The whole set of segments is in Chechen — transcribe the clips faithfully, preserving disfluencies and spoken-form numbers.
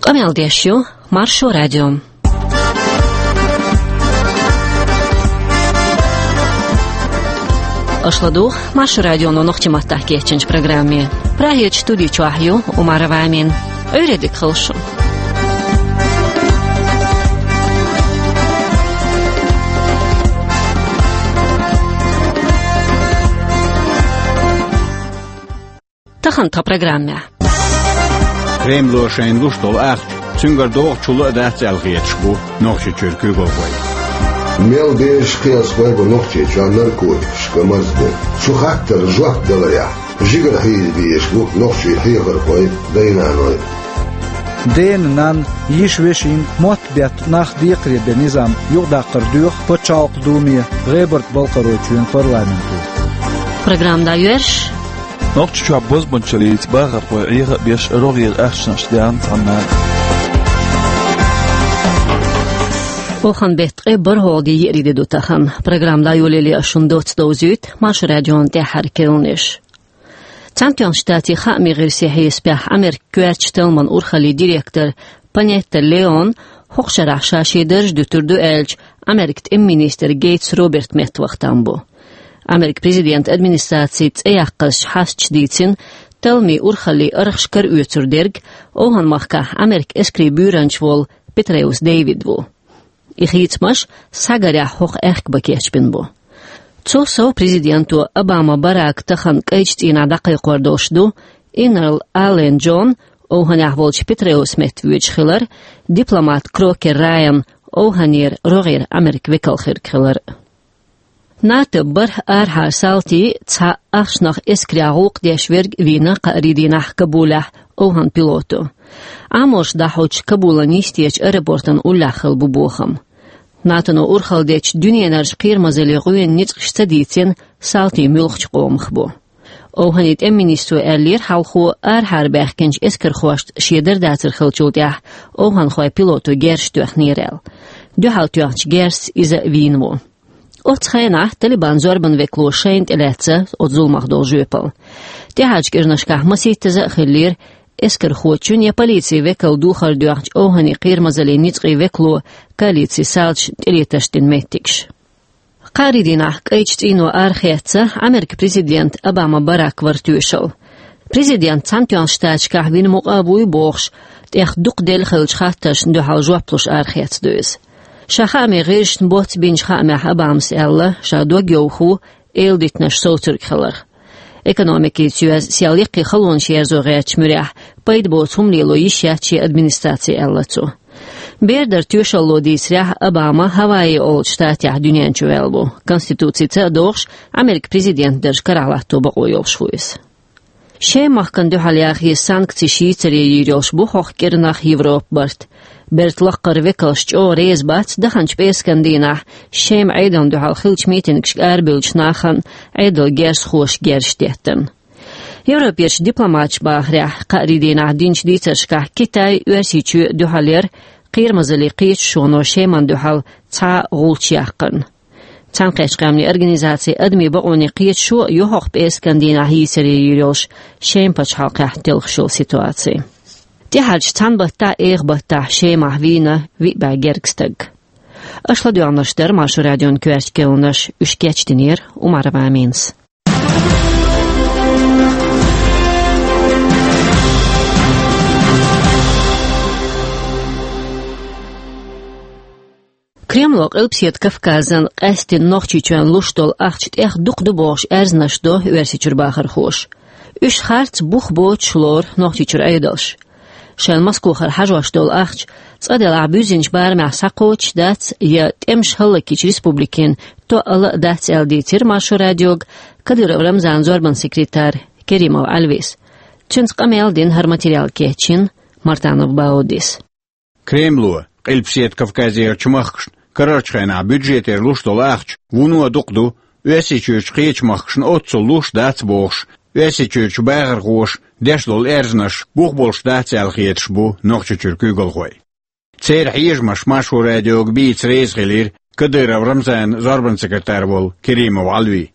Къамел деш ю Маршо радио. Аша ладугӀу Маршо радионо нохчийн маттахь кечйинчу программе. Прагерчу студи чохь ю Умарова Амина. Ӏуьйре дика хуьлда шун. Тахана тхан программехь. Кремло шайна луш долу ахча, цуьнгара догӀу чулла а дац аьлла хеташ бу Нохчийчуьра куьйгалхой. Мел безаш кхиазхой бу Нохчийчохь наркотикашка марзбе. Цу хаттарна жоп даларехь, жигара хьийза безаш бу нохчийн хьехархой, дай-наной. Дена, нанна, йиша, вешин мотт бетта нах декхаре бен низам юхадаккхар доьху Пачхьалкхан Думе, ГӀебарта-Балкхаройчоьнан парламенто. Программа дӀайоьрзуш. Нохчийчохь бозбуунчаллица бахархой Ӏеха а беш, рогӀера ахчанаш деана цхьанна. Оханан беттан ткъе бархӀалгӀа де, еарин де ду тахана. Программа дӀайолале ас шуна доцца довзуьйту Маршо радион тӀаьххьара керланаш. Цхьаьнатоьхначу Штатийн хаамийн гӀирсийн хьесапехь, Америкин коьртачу талламан урхаллин директор Панетта Леон хӀокху шарахь ша шен дарж дуьтур ду аьллачу Америкин тӀеман министран Гейтс Робертан меттаваха там бу. Америкин президентан администрацин цӀе яккхазчу хьасташа дийцина, талламийн урхаллин архаш караоьцур дерг Овханан махкахь Америкин эскарийн буьйранча волу Петреус Дэвид ву. И хийцамаш схьагарехь хӀокху аьхка бан кечбина бу. Цул сов президенто Обама Барака тахана кӀайчу цӀийнахь дӀакхайкхор долуш ду Иннерл Аллен Джон, Овханехь волчу Петреусан метта воьдуш хилар, дипломат Крокер Райан, Овханера рогӀера Америкин векал хирг хилар. НАТО-н бархӀ арахьара салти, цхьа ахчанах эскарехь гӀуллакх деш верг вийна кхаарин дийнахь Кабулехь Овханан пилото. Ӏаморш дӀахьочу Кабулан йистечу аэропортан уллехь хилла бу бохам. НАТО-но урхалла дечу дуьненарчу кхерамазаллин гӀоьнан ницкъаша ца дийцина, салти муьлххачу къомах бу. Овханан тӀеман министро аьллера, хьалхо арахьара баьхкинчу эскархошца шен дар дацар хиллачул тӀаьхьа овханхойн пилото герзаш тоьхнера аьлла. Дуьхьал тоьхначу герзаца иза вийна ву. Оццу хенахь Талибан зорбанан векало шайна тӀелаьцна оцу зуламах долу жоьпалла. ТӀаьхьарчу кӀиранашкахь масийттаза а хиллера эскархочун я полицин векалан духар доьхначу овханийн кхерамазаллин ницкъийн векало коалицин салташа тӀелетарш дина меттигаш. Кхаарин дийнахь кӀайчу цӀийно арахецна Америкин президент Обама Барак вара тоьшалла. Президент Цхьаьнатоьхначу Штаташкахь вина мукъа а вуй бохуш, тӀех дукха делла хиллачу хаттаршна дуьхьал жоп луш арахецна ду иза. Ша хаамийн гӀирсашна боцца бинчу хаамехь Обамас аьлла, ша дог йовха ву эладитанаш совцург хиларх. Экономикица йоьзна сел яккхий халонаш ерзо гӀертачу муьрехь пайда боцу хӀума лело йиш яц шен администрацин, аьлла цо. Бер дар тоьшалло дийцарехь, Обама Гавайи олучу штатехь дуьнен чу ваьлла ву. Конституцица а догӀуш, Америкин президент дарж карахь латто бакъо йолуш ву иза. Шеман махкана дуьхьал яхъе санкцеш йийцаре йийр йолуш бу хӀокху кӀиранах Европан барт. Бертан лаккхара векалш чӀогӀа реза бац даханчу пӀераскан дийнахь Шеман Ӏедална дуьхьал хиллачу митингашка арабевллачу нахана Ӏедалан герзахоша герзаш деттина. Европерчу дипломаташа бахарехь, кхаарин дийнахь динчу дийцаршкахь Китай Оьрсийчоь дуьхьал яра кхерамазаллин кхеташоно Шемана дуьхьал цхьа а гӀулч яккхарна. Цхьаьнакхеттачу Къаьмнийн Организацин адамийн бакъонийн кхеташо а ю хӀокху пӀераскан дийнахь йийцаре йийр йолуш Шеман пачхьалкхехь телхаш йолу ситуаци. ТӀаьхьарчу цхьана баттахь а, эха баттахь а Шемахь вийна виъ бӀе гергга стаг. Аша ладоьгӀнарш дара Маршо радион коьртачу керланаш, уьш кечдинера Умарова Аминас. Кремло Къилбаседа Кавказан, къаьсттина Нохчийчоьнна луш долу ахча тӀех дукха ду бохуш аьрзнаш до Оьрсийчуьра бахархоша. Уьш харц бух боцуш лору Нохчийчуьра Ӏедалш. Шайна Москохара хьажош долу ахча цкъа делахь буьззинчу барамехь схьакхочуш дац я тӀемаш хӀаллакйича республикийн тоъал а дац аьлла дийцира Маршо радиога Кадыров Рамзанан зорбанан секретарь Керимов Ӏалвис. Цуьнца къамел дина, хӀара материал кечйина Мартанов Баудис. Кремло Къилбаседа Кавказерчу махкашна карарчу хенахь бюджетера луш долу ахча вуно дукха ду, Оьрсийчуьрчу кхечу махкашна оццул луш дац бохуш, Оьрсийчуьрчу бахархоша деш долу аьрзнаш бух болуш дац аьлла хеташ бу Нохчийчуьра куьйгалхой. Церан хьежамаш Маршо радиога бийца реза хилира Кадыров Рамзанан зорбанан секретарь волу Керимов Ӏалви.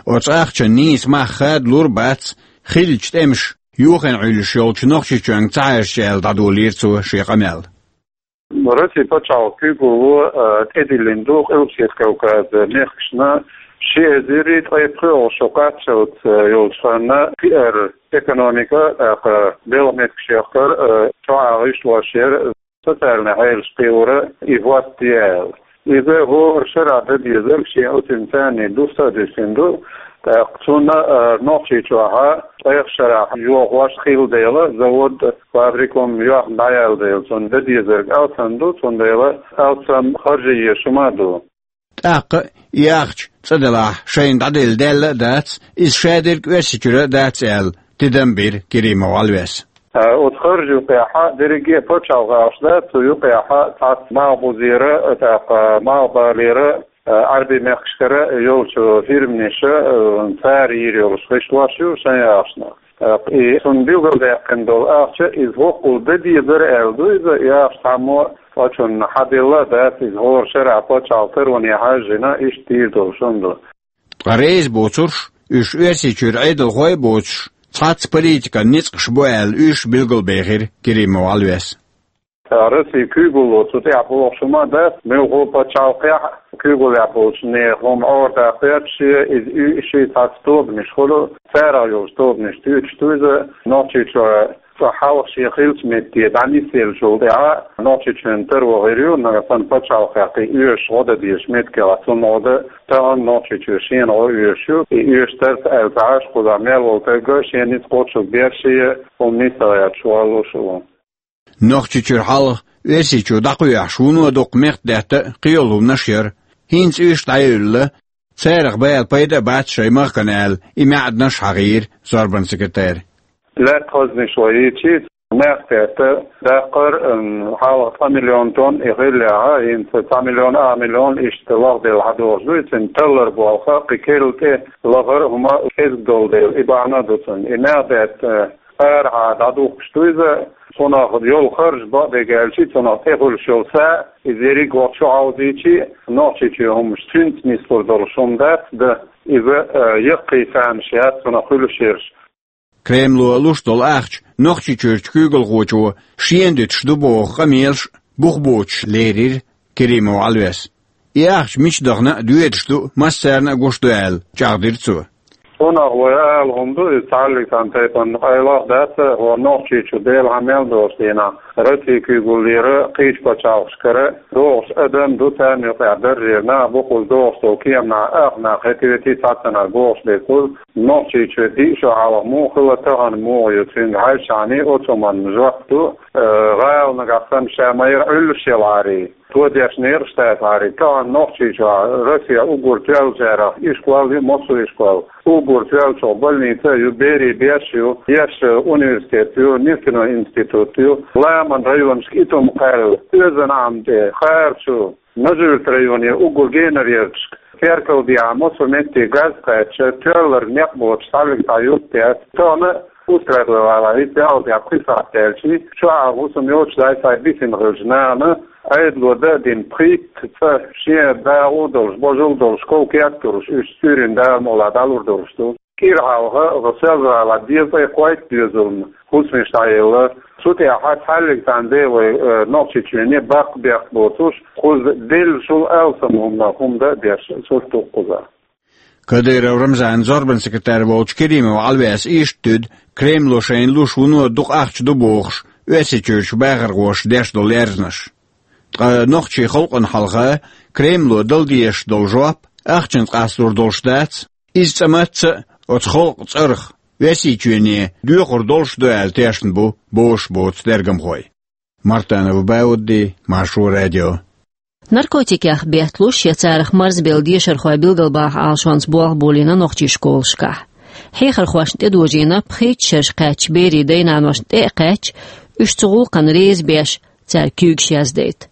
Оцу ахчанан нийса мах хадалур а бац, хиллачу тӀемаша Йохийна Ӏуьллуш йолчу Нохчийчоьнга ца хьаьжча аьлла, дӀадолийра цо шен къамел. Россин пачхьалкхан куьйгалло, а, тӀедиллина ду Къилбаседа Кавказан мехкашна ши эзар ткъе пхоьалгӀа шо кхаччалц, а, йолчу ханна пиар, экономика, тӀаккха белхан меттигаш яккхар, а, чохь а гӀишлош яр, социальни хьелаш кхиоран и хӀотта де аьлла. Иза хӀора шарахь дан дезарг шен оцу царний дустар а дуьсина ду, тӀаккха цунна, а, Нохчийчохь ткъех шарахь йохош хилла дела, завод, фабрика хӀума йохна дӀаяьлла дела, цунна дан дезарг алсам ду, цундела алсам харжа езаш хӀума а ду. ТӀаккха и ахча цӀа делахь, шайна дӀаделла даьлла а дац, иза шадерг Оьрсийчуьра а дац аьлла, тидам бира Керимов Ӏалвес. А, оцу харжа юкъехь дерриге а пачхьалкх ахча дац, цу юкъехь цхьацца малхбузера, тӀаккха малхбалера, а, Ӏаьрбийн мехкашкара йолчу фирмаша, а, цара йийр йолуш гӀишлош ю шайн ахчанах. ТӀаккха и цунна билгалдаьккхина долу ахча, иза хӀоккхул дан дезара аьлла ду иза, и ахча цхьаммо а оцунна хьаделла а дац, иза хӀора шарахь пачхьалкхан тароне хьаьжжина, иштта дийр долуш хӀума ду. Ткъа реза боцурш, уьш Оьрсийчуьра Ӏедалхой а боцуш, цхьацца политикан ницкъаш бу аьлла, уьш билгалбехира Керимов Ӏалвес. Ткъа Россин куьйгалло цу тӀехь бохуш хӀума дац, муьлхха а пачхьалкхехь куьйгаллехь болчу нехан хӀума Ӏордаккха гӀерташ, иза уьш цхьацца тобанаш хуьлу, царах йолчу тобанаш туьйцуш ду иза. Нохчийчохь цо хьалха шен хиллачу метте дӀанисъеллачул тӀаьхьа Нохчийчоьнан таро хир ю, нагахь санна пачхьалкхехь кхин оьшуш гӀо дан дезачу меттигехь цунна гӀо дан, тахана Нохчийчоь шена гӀо оьшуш ю, и оьшуш тарца аьлла ца Ӏаш, кхузахь мел волу стаг а шен ницкъ кхочург берш а, хӀума нисдала гӀерташ валлуш а ву. Нохчийчуьра хьалха Оьрсийчу дӀакхоьхьуш вуно дукха мехкдаьтта а, кхийолу хӀуманаш а яра. ХӀинца уьш дӀаяьлла, царах бала пайда а бац шайн махкана аьлла, и маьӀданаш а хьахийра зорбанан секретарь. Лаьтта хазниш вай йийцича, мехкдаьтта даккхар, м, хьалха цхьа миллион тонн и хиллехь, хӀинца цхьа миллион, ах миллион иштта лахделла хьадогӀуш ду, и цуьнан таллар болх а, кхин керла тӀе лахара хӀума кӀезиг долу дела, и бахьана а ду цуьнан. И маьӀдаьтта арахьа дӀадухкуш ду иза, цунах йолу харж бакъдерг аьлча, цунах тӀехуьлуш йолу са, иза ерриг вахча хьовзийча, Нохчийчоь хӀуманаш цуьнца нислур долуш хӀума дац, дан иза, а, яккхий цхьаьнаш яц цунах хуьлуш ерш. Кремло луш долу ахча Нохчийчуьрчу куьйгалхочо шена дуьтуш ду боху къамелаш а бух боцуш лерира Керимов Ӏалвес. И ахча мича дахана а доьдуш ду, массарна а гуш ду аьлла, чӀагӀдира цо. Цунах вай ала хӀума ду, иза цхьаллиг цхьана тайпана къайлах а дац, хӀора Нохчийчу Дела хьан мел долуш дийнахь, Россин куьйгаллера кхечу пачхьалкхашкара догӀуш адам ду, царна юкъахь даржера нах бу, кхуза догӀуш долу кеманахь ах нах хӀетте а цхьаццанхьа богӀуш дерг кхуза, Нохчийчоь диъ шо хьалха муха хилла, тахана муха ю, цуьнга хьаьжча а оцу хӀуманна жоп ду, э, гӀала нагахь санна ша ма-ярра Ӏуьллуш ялахьарий. Тодеш некъаш тасахьарий, тахана Нохчийчохь Россехь уггар тоьллачарах ишкол ю, массо а ишкол. Уггар тоьллачух больница а ю, берийн беш а ю, еш университет ю, нефтяной институт ю, ламан районашка итум кхаьлла, Оьзан Ӏам тӀе, Харчу, Нажи-Юьртан районе уггар генаръярташка, Теркалдехьа массо а метте газ кхаьчча, тоьлларг некъ боцуш цхьаллиг цхьа юрт яц. Тахана Устрада валахь, и пхьалдехь пхи сахьт даьлча, чохь а хӀусам йоцуш дай схьа бисина хилча нахана, Ӏедало дан а дина, пхийтта цӀа шен дагӀа а долуш, божал а долуш, ков кетталуш, уьш Цуьрин Дала мукъалахь дӀалур долуш ду. КӀира хьалха, Селжа-ГӀалахь дезткъе кхойтта доьзална хӀусамаш дӀаелла. Цу тӀехь цхьаллиг цхьана де вай, э, Нохчийчоьне баккха бехк боцуш, кхуза деллачул алсам хӀуманах хӀума дан а беш, сурт ду кхузахь. Кадыров Рамзанан зорбанан секретарь волчу Керимов Ӏалвес иштта туьду Кремло шайна луш вуно дукха ахча ду бохуш, Оьрсийчуьрчу бахархоша деш долу лерзанаш. Ткъа нохчийн халкъана хьалха Кремло дала дезаш долу жоп, ахчанца къасталур долуш дац, иза цкъа мацца а оцу халкъан цӀарах Оьрсийчоьне доьхур долуш ду аьлла тешна бу бозуш боцу тергамхой. Мартанов Баудди, Маршо радио. Наркотикех бетталуш я царах марзбелла дешархой билгалбаха Ӏалашонца болх болийна нохчийн школашкахь. Хьехархошна тӀедожийна пхийтта шераш кхаьчча берийн дай-наношна тӀе а кхаьчча, уьш цу гӀуллакхна реза беш, цаьрга куьйгаш яздайта.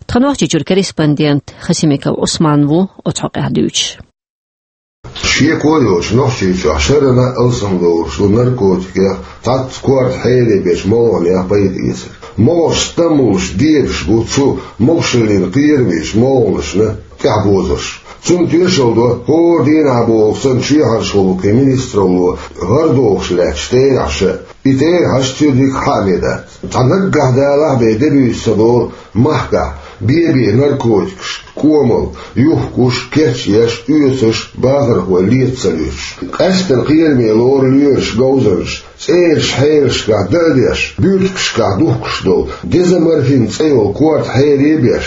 Тхан Нохчийчуьра корреспондент Хасимиков Ӏусман ву оцу хьокъехь дуьйцуш. Шеко а йоцуш, Нохчийчохь шарна а алсамдолуш ду наркотикех, цхьацца корта хьеле бечу молханех пайда эцар. МогӀарш стаммалш дедаш бу цу могушаллина кхерамечу молханашна тӀаьхьабозарш. Цунна тоьшалла до хӀора дийнахь бохург санна чоьхьарчу гӀуллакхийн министралло гӀарадохуш лаьттачу терахьаша а. И тӀе хьажа цуьнан дика хьа а вен дац. Цхьа наггахь далахь бен де буьйса ца долу махкахь, бен-бен наркотикаш, кӀомал, юхкуш, кечъеш, оьцуш, бахархой лета ца луьйш. Къаьсттина кхераме лору лоьраш, говзанчаш, цӀераш хьелашкахь дан а деш, буьртигашкахь духкуш долу, дезоморфин цӀе йолу корта хьере а беш,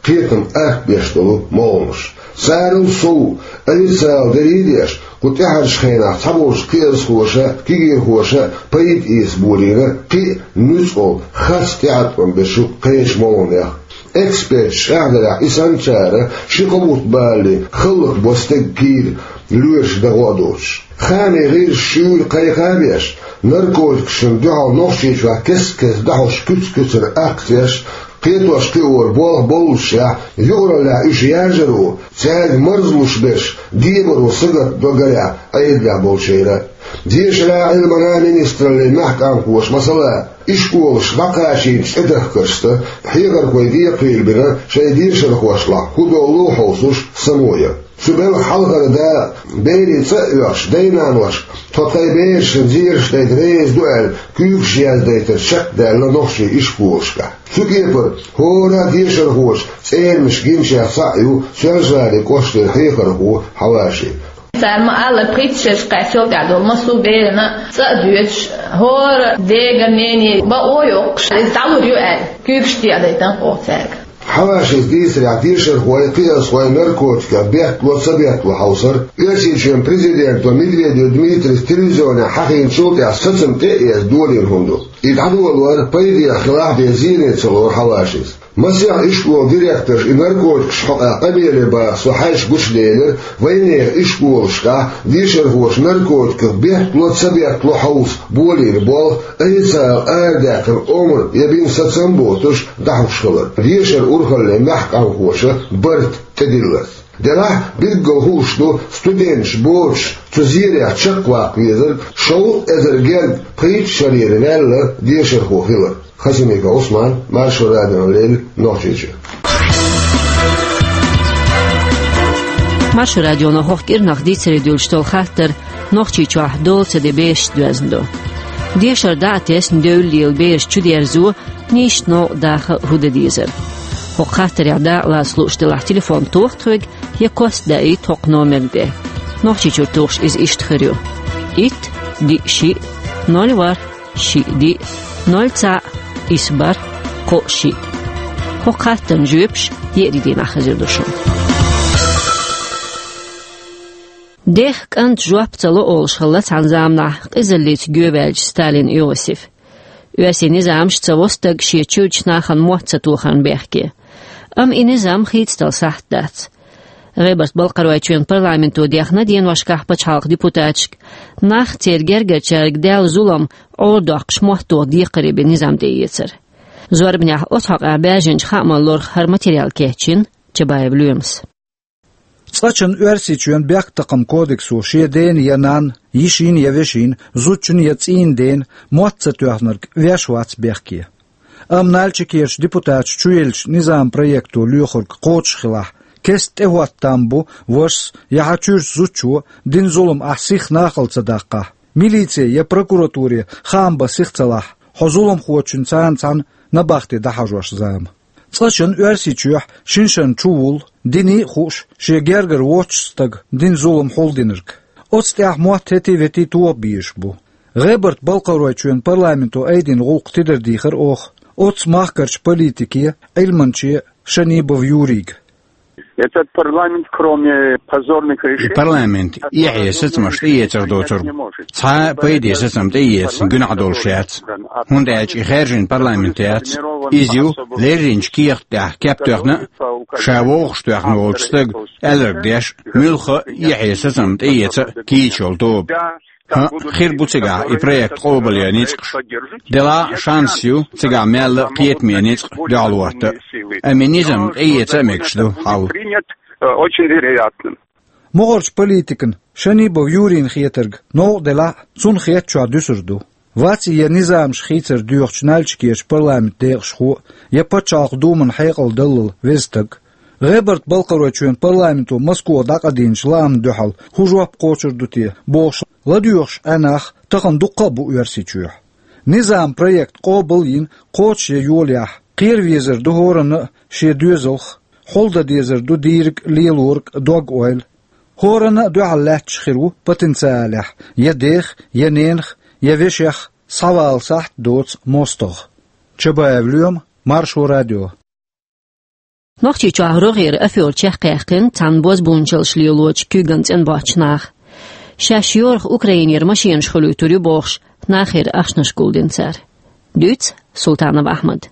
кхетам атта беш долу молханаш. Царал сов, официал дерриг а деш, кху тӀаьхьарчу хенахь цхьаболчу кхиазхоша, кегийрхоша пайда эца болийна кхин а нуьцкъала, харц тӀеӀаткъам бечу кхечу молханех. Эксперташа чӀагӀдарехь, и санначара ши-кхо бутт балале хӀаллакбо стеган кийра, лоьраш дан гӀо а доцуш. Хаамийн гӀирсаша шуьйра кхайкха а беш, наркотикашна дуьхьал Нохчийчохь кест-кеста дӀахьош куьц-куьцара акцеш, кхетош-кхиоран болх боллушехь, юкъараллехь уьш яржаро, цаьрга марзлуш берш дебаро сагатдо, гарехь, Ӏедалехь болчеран. Дешаран, Ӏилманан министраллин мехкан къамелхоша, масала, ишколаш дӀакхачийначу тӀедахкаршца хьехархой декхарийлабина шайн дешархошлахь хӀун долу хьовсуш, самоя. Цу белхан хьалхара дакъа, берийн цӀа а оьхуш, дай-наноша тхо тхайн берашна зераш дайта реза ду аьлла, куьйгаш яздайтар чекхдаьлла нохчийн ишколашкахь. Цу кепара хӀора а дешархочун цӀерамаш гиначех цхьаъ ю Соьлжа-ГӀалин кӀоштара хьехархо Хьаваши. Цара ма-аллара, пхийтта шерашкахь цул тӀаьхьа долу массо а берана цӀа а доьшуш, хӀора дегара, нене бакъо а йоккхуш, иза дӀалур ю аьлла, куьйгаш тӀе а дайтина оха цаьрга. Хьавашис дийцарехь, дешархой, кхиазхой наркотикех беттало, ца беттало хьовсар Оьрсийчоьнан президенто Медведев Дмитрийс телевизионехь хьахийначул тӀаьхьа сацам тӀе а эцна долийна хӀума ду. И дӀадолор пайдехь хилахь а бен зене ца лору Хьавашис. Масех ишколан директорша и наркотикаш хьокъехь къамеле баха со хьаьжча гучуделира, вайнехан ишколашкахь дешархоша наркотикех беттало, ца беттало хьовса болийна болх, официалан арадаьккхина омра я бина сацам а боцуш, дӀахьош хилар. Дешаран урхаллин мехкан къамелхоша барт тӀедилларца. Делахь а билггал хууш ду студенташ боцуш цу зерехь чекхваккха везарг, шовзткъа эзар герга пхийтта шарера ваьлла дешархо хилар. Хасимиков Ӏусман, Маршо радиона леррина, Нохчийчоь. Маршо радионо хӀокху кӀирнах дийцаре дуьллуш долу хаттар Нохчийчохь дола ца де бешашца доьзна ду. Дешар дӀа а тесна, девлла лела бераш чудерзо, нийсачу новкъа даха а хӀун дан дезара. ХӀокху хаттарехь дакъалаца лууш делахь, телефон тоха тхоьга я кост даийта хӀокху номерна тӀе. Нохчийчуьра тухуш иза иштта хир ю: итт, диъ, шиъ, ноль, ворхӀ, шиъ, диъ, ноль, цхьаъ, исс, бархӀ, кхоъ, шиъ. ХӀокху хаттарна жоьпаш еарин дийнахь хезар ду шуна. Дех кӀанта жоп ца ло олуш хилла цхьана заманахь къизаллица гоьваьллачу Сталин Иосифа. Оьрсийн низамаш ца во стаг шен чуьрачу нахана мотт ца тохарна бехке. Амма и низам хийцадала сахьт дац. ГӀебарта-Балкхаройчоьнан парламенто дехна деношкахь пачхьалкхан депутаташка нах, церан гергарчаьрга даьлла зулам Ӏорадоккхуш, мотт тоха декхаре бен низам тӀеэцар. Зорбанехь оцу хьокъехь баьржинчу хааман лорах хӀара материал кечйина Чабаев Лоьмас. Цкъачунна Оьрсийчоьнан бехктакхаман кодексо шен дена я нанна, йишина я вешина, зудчунна я цӀийнан дена мотт ца тоьхнарг веш вац бехке. Амма Нальчикерчу депутаташа чуеллачу низаман проекто лоьхург кхочуш хилахь, кеста тӀехӀотта там бу вашас я хьан чуьрачу зудчо дина зулам ахь сиха нахала ца даккхахь, милице я прокуратуре хаам бан сиха ца лахь, хьо зуламхочуьнца цхьаьна набахте дӀахьажош зама. Цкъачунна Оьрсийчохь шина-шарна чувуллу, диний а хууш, шен гергара воцчу стага дина зулам хьулдинарг. Оцу тӀехь мотт хӀетий-ветий тоха безаш бу. ГӀебарта-Балкхаройчоьнан парламенто айдина гӀуллакх тидардийхира оха оцу махкарчу политике, Ӏилманче Шанибов Юрига. Этот парламент, кроме позорных решений, И парламент эхье сацамаш тӀеэцар доцург, цхьа а пайде сацам тӀеэца гуьнахь долуш яц. ХӀунда аьлча и хаьржина парламент яц. Иза ю лерринчу кехат тӀехь кеп тоьхна а, ша вовшахтоьхна волчу стага аьлларг деш а, муьлхха а эхье сацам тӀеэца а кийча йолу тоба. ХӀаъ, хир бу цигахь и проект къобалъян ницкъаш. Делахь а шанс ю цигахь мелла а кхетаме ницкъ дуьхьал хӀотта а. Амма и низам тӀеэца а мегаш ду хьал. МогӀарчу политикана, Шанибов Юрина хетарг, новкъа делахь а, цунна хетачохь дуьсур ду. Ваций я низамаш хийцар доьхучу Нальчикерчу парламентан декъашхо а, я Пачхьалкхан Думан хьекъал даллал веза стаг? ГӀебарта-Балкхаройчоьнан парламенто Москох дӀакъадийначу лаамна дуьхьал хӀун жоп кхочур ду те бохуш ладоьгӀуш Ӏаьнах тахана дуккха а бу Оьрсийчохь. Низам проект къобал а йина кхочушъян йолаяхь, кхеравезар ду хӀоранна а шен доьзалх, хьулдан дезар ду дийриг лелорг дог-ойла. ХӀоранна а дуьхьал лаьтташ хир ву потенциалехь я дех, я ненах, я вешех схьавала сахьт доцу мостагӀа. Чабаев Лоьма, Маршо радио. Нохчийчохь рогӀера афёрчех кхаьхкина цхьана бозбунчаллаш лелочу куьйган цӀена боцчу наха. Шаьш йорах Украинера машенаш хуьлуьйтур ю бохуш, нахера ахчанаш гулдина цара. Дуьйцу Султанов Ахьмада.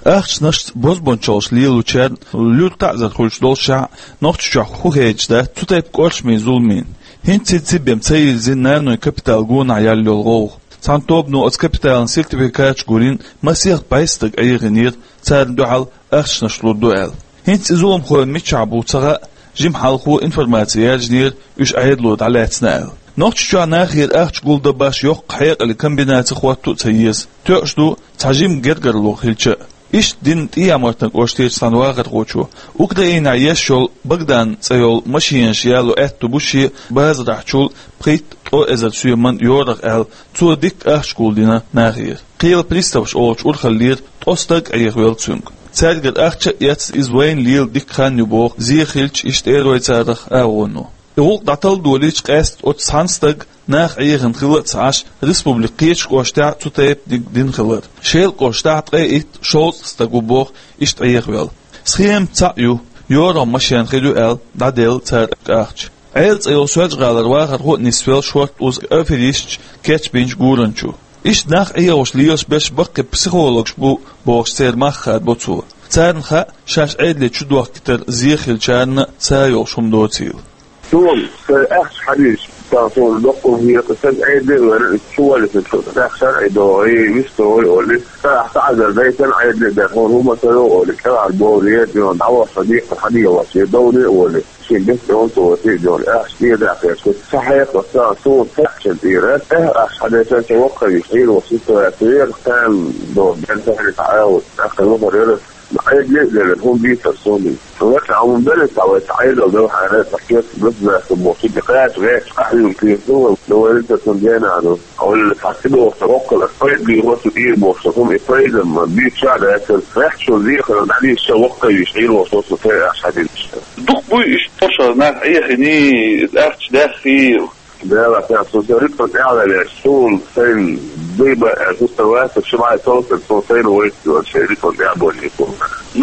Ахчанашца бозбунчаллаш лелочарна луьра таӀзар хуьлуш доллушехь, Нохчийчохь хӀун хеташ дац цу тайпа кӀоршамийн зуламийн. ХӀинца ци бен ца йирзина нанойн капитал гонахь яьлла йолу гӀовгӀа. Цхьана тобано оцу капиталан сертификаташ гулйина, масех бӀе стаг Ӏехийнера, царна дуьхьал ахчанаш лур ду аьлла. ХӀинца и зуламхой мичахь бу ца хаьа, жимма хьалхо информаци яьржинера уьш Ӏедало дӀалаьцна аьлла. Нохчийчохь нахера ахча гулдан башха йоккха хьекъале комбинаци хӀотто а ца еза. Тоьуш ду цхьа жимма гергарло хилча а. Иштта дина ТӀехьа-Мартан кӀоштарчу цхьана вахархочо, Украинехь еш йолу Богдан цӀе йолу машенаш яло аьтто бу шен базарахьчул пхийтта-ткъа эзар соьман йорах аьлла, цо дикка ахча гулдина нахера. Кхелан приставаш олучу урхаллера ткъа стаг Ӏехавелла цуьнга. Цаьргара ахча а эцна, иза вайна лела дикка хан ю боху зен хилча иштта тӀера вай царах агӀоно. И гӀуллакх дӀаталладолийча, къаьсттина оцу цхьана стага нах Ӏехийна хилла а ца Ӏаш, республикан кхечу кӀоштахь цу тайпаниг дина хилар. Шелан кӀоштахь ткъе итт-шовзткъа стаг ву боху иштта Ӏехавелла. Схема цхьаъ ю, йорах машен хир ю аьлла, дӀаделла цара ахча. Ӏела цӀе йолу Соьлжа-ГӀалара вахархо а нисвелла шортта уза аферисташ кечбинчу гуранчу. Иштта нах Ӏехош лелаш берш баккхий психологаш бу бохуш, церан мах хадабо цо. Царна хаьа, шаьш Ӏедале чудохкийтар зен хилчарна а са йолуш хӀума доцийла. Суна сайн ахча хьадийча, цхьа суна доккха хӀума хета, сан Ӏедале а вара, чу валлалц чу тӀехьа шарӀе догӀий, вист догӀий олий, цхьа ахь таӀзар дайтина Ӏедале а дара, хӀума ца йогӀу олий, кӀелхьара бовлий, дӀавахча декхар хьадийгӀа вац, я довлий а волий. Шен бехке онцо вац, и дела, ахча тӀера даккхеча, ца хьекха, ца, суна цхьаьччан тӀера, тӀаьхьа ахча хьадайшан, ца воккхавеш, хьийла вац, иштта вац, вера хан до, бен тахьри ца Ӏа вац, тӀаккха вахар яра, Ӏедале а делира, хӀума бийцар суна. Вац, хьан хӀума белла ца вай, ца Ӏедал дала хьара, ца кхетта государство боху, ши кхача гӀерташ къахьуьйлу кхетта, до вай ца цунна гена а ду. Хьо валлалц хьан ца боху, ца воккхал, аса пайда бийр вац, ца тӀера боху, ца хӀума, и пайда ма, бийца ша дац, аса гӀерташ шо зехар, дӀадийша ша воккхавеш, хьийла вац, со ца ахча хьадийча. Дукха буй иштта, тхо ша нах Ӏехиний, ахча даьххий. Дела, тӀехь со сан ритм тӀехь а ваьлла, суна сайн дуй бан аьлла, хӀуста вац, ши бӀе совцар, со сайна вайта йолу шайн ритм тӀехь а болий суна.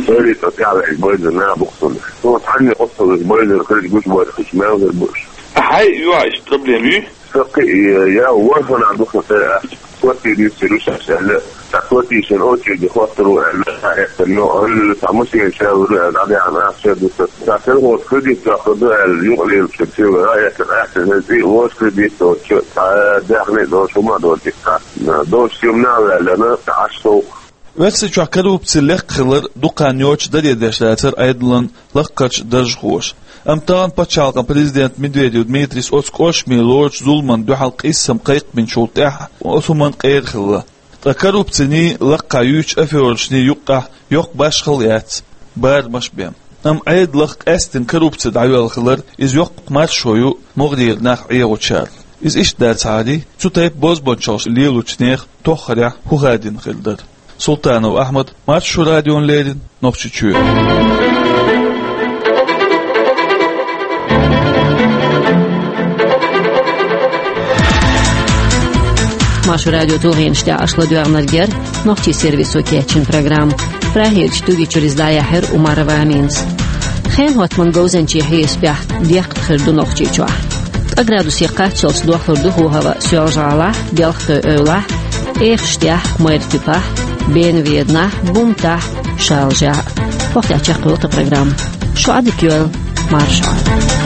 Сайн ритм тӀехь а ваьлла, бойзар нах бу-кх суна. Суна цхьанне къотталуш бойзар хилча, гуш бойзар хилча, мел хир бу уьш. Ахьа хьайн юьхь иштта проблема юй? Сан кхин а, я ворхӀанна ду-кх сан, коттий дуьйцур ю шаьш аьлла. Цхьа коттийшна очереде хӀоттар ву аьлла, цхьа эцна, но хӀаллал цхьа машен шел вара аьлла, дӀадеана ахча дуьсур. Цхьа сельхоз кредит доккхур ду аьлла, юкъа лелачун сийлахь а эцна, ахча хӀинца и вожа кредит доцучу, цхьа даьхни а доцуш, хӀума а доцуш, цхьа долчу стемнахь а ваьллина, цхьа Ӏаш совгӀа. Оьрсийчохь коррупци лекха хилар дукха хан йоцуш даре деш дацара Ӏедалан лакхарчу даржхоша. Амма тахана пачхьалкхан президент Медведев Дмитрийс оцу кӀоршаме лоручу зуламна дуьхьал къийсам кхайкхинчул тӀаьхьа оцу хӀуманна къера хилла. Ткъа коррупциний, лакхахь юьйцучу аферашний юккъехь йоккха башхалла яц, барамаш а бен. Амма Ӏедалх къаьсттина коррупци дӀайоьлла хилар, иза йоккха маршо ю могӀарера нах Ӏехочарна. Иза иштта дацахьара, цу тайпа бозбунчаллаш лелочу нехан тоххарехь хӀун хадийна хир дара. Султанов Ахьмад, Маршо радиона леррина, Нохчийчоь. Маршо радион тулгӀенаш тӀехь аша ладоьгӀнарг яра нохчийн сервисо кечйина программа. Прагерчу студи чуьра иза дӀаяьхьира Умарова Аминас. Хенан хӀоттаман говзанчийн хьесапехь декхат хир ду Нохчийчохь. Ткъа градусе кхаччалц дохлур ду хӀаваъ Соьлжа-ГӀалахь, Белхатуй-Эвлахь, Эхаштехь, Майртуьппехь, Бена-Веданахь, Бумтахь, Шалажехь. ХӀокху тӀехь чекхйолу тхан программа. Шун Ӏадика йойла, марша Ӏойла.